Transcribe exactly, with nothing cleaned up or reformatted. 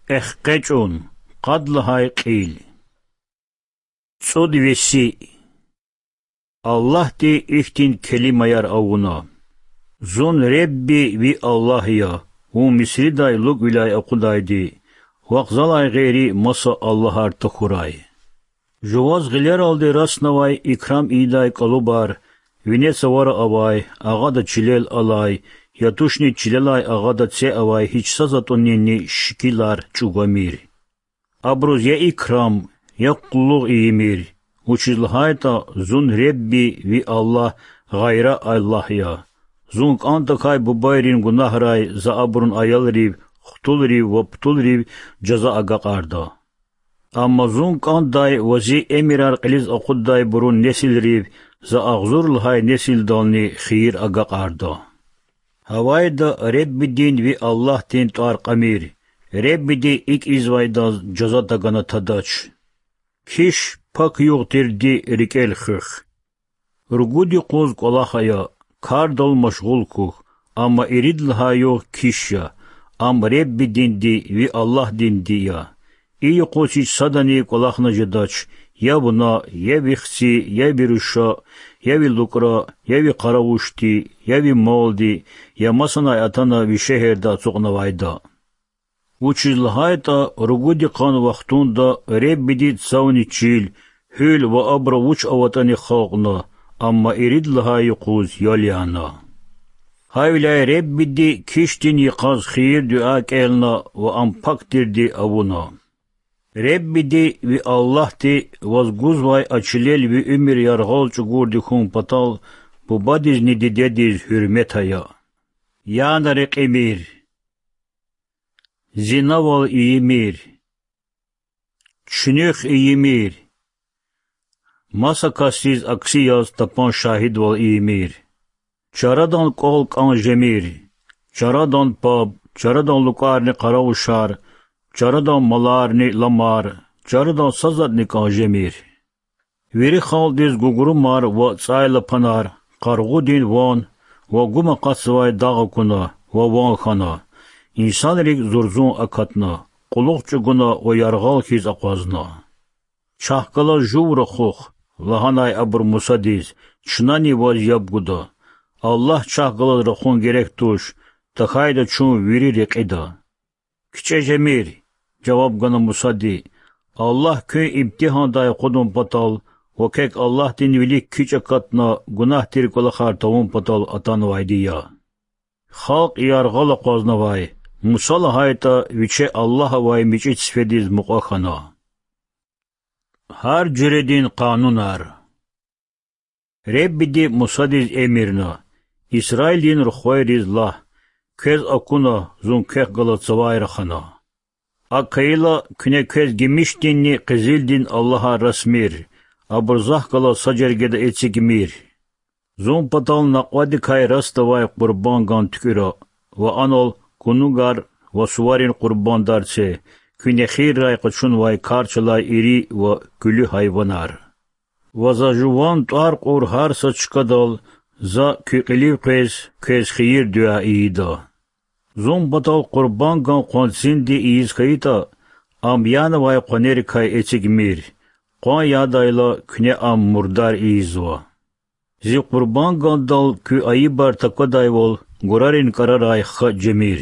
Эхкъечӏун, къад лагьай кьил. Цӏуд веси. Аллагьди ихьтин келимаяр авуна: Зун Ребби ви Аллагь я, вун Мисридай лукӏвиляй акъудайди, вахъ залай гъейри маса аллагьар тахьурай. Жуваз гъилералди раснавай икрам ийидай кӏалубар, вине цавара авай, агъада чилел алай, я тушни чилелай агъада це авай гьич са затӏунинни шикилар чӏугвамир. Абуруз я икрам, я къуллугъ ийимир, вучиз лагьайтӏа Зун Ребби ви Аллагь гъайра аллагь я. Зун кӏантӏакай бубайрин гунагьрай За абурун аялрив, хтулрив ва птулрив жаза агакьарда. Амма Зун кӏандай ва Зи эмирар кьилиз акъуддайбурун несилрив За агъзур лагьай несилдални хийир агакьарда. Гьавайда Реббидин, ви Аллагьдин тӏвар кьамир, Реббиди икӏ ийизвайдаз жаза тагана тадач. Киш пак югъ тирди рикӏел хуьх. Ругуд юкъуз кӏвалах ая, кардал машгъул хьухь, амма ирид лагьай югъ киш я, ам Реббидинди, ви Аллагьдинди я. И юкъуз гьич садани кӏвалахна жедач: я вуна, я ви хци, я ви руша, я ви лукӏра, я ви къаравушди, я ви малди, я масанай атана ви шегьерда ацукьнавайда. Вучиз лагьайтӏа ругуд йикъан вахтунда Реббиди цавни чил, гьуьл ва абуру вуч аватӏани халкьна, амма ирид лагьай юкъуз ял яна. Гьавиляй Реббиди кишдин йикъаз хийир-дуьа кӏелна ва ам пак тирди авуна. Реббиди, ви Аллагьди, ваз гузвай а чилел ви уьмуьр яргъал чӏугурди хьун патал бубадизни дидедиз гьуьрмет ая. Яна рекьимир. Зинавал ийимир. Чуьнуьх ийимир. Маса касдиз акси яз тапан шагьидвал ийимир. Чарадан кӏвал кӏан жемир. Чарадан паб, чарадан лукӏарни къаравушар, чарадан маларни ламар, чарадан са затӏни кӏан жемир. Вири халкьдиз гугрумар ва цӏайлапанар, къаргъудин ван ва гум акъатзавай дагъ акуна ва ван хьана, инсанрик зурзун акатна, кьулухъ чӏугуна ва яргъал хьиз акъвазна. Чахъ галаз жув рахух,— лагьанай абуру Мусадиз,— чнани ваз яб гуда. Аллагь чахъ галаз рахун герек туш, тахьайтӏа чун вири рекьида. Кичӏе жемир,— жаваб гана Мусади,— Аллагь куьн имтигьандай акъудун патал ва квек Аллагьдин вилик кичӏ акатна гунагь тир кӏвалахар тавун патал атанвайди я. Халкь яргъал акъвазнавай, Муса лагьайтӏа виче Аллагь авай мичӏи цифедиз мукьва хьана. Гьар жуьредин къанунар. Реббиди Мусадиз эмирна: Исраилдин рухвайриз лагь: квез акуна, зун квехъ галаз цавай рахана. Акӏ хьайила, куьне квез гимишдинни къизилдин аллагьар расмир, абур Захъ галаз са жергеда эцигмир. Зун патал накьвадикай расдавай къурбанган туькӏуьра ва анал кунугар ва суварин къурбандар це, куьн эхиррай къачунвай карч алай ири ва куьлуь гьайванар. Ва За жуван тӏвар кьур гьар са чкадал За куь кьилив къвез квез хийир-дуьа ийида. Зун патал къурбанган къванцинди ийиз хьайитӏа, ам янавай къванерикай эцигмир, къван ядайла, куьне ам мурдар ийизва. Зи къурбангандал куь айибар таквадайвал гурарин кӏарарай хкаж жемир.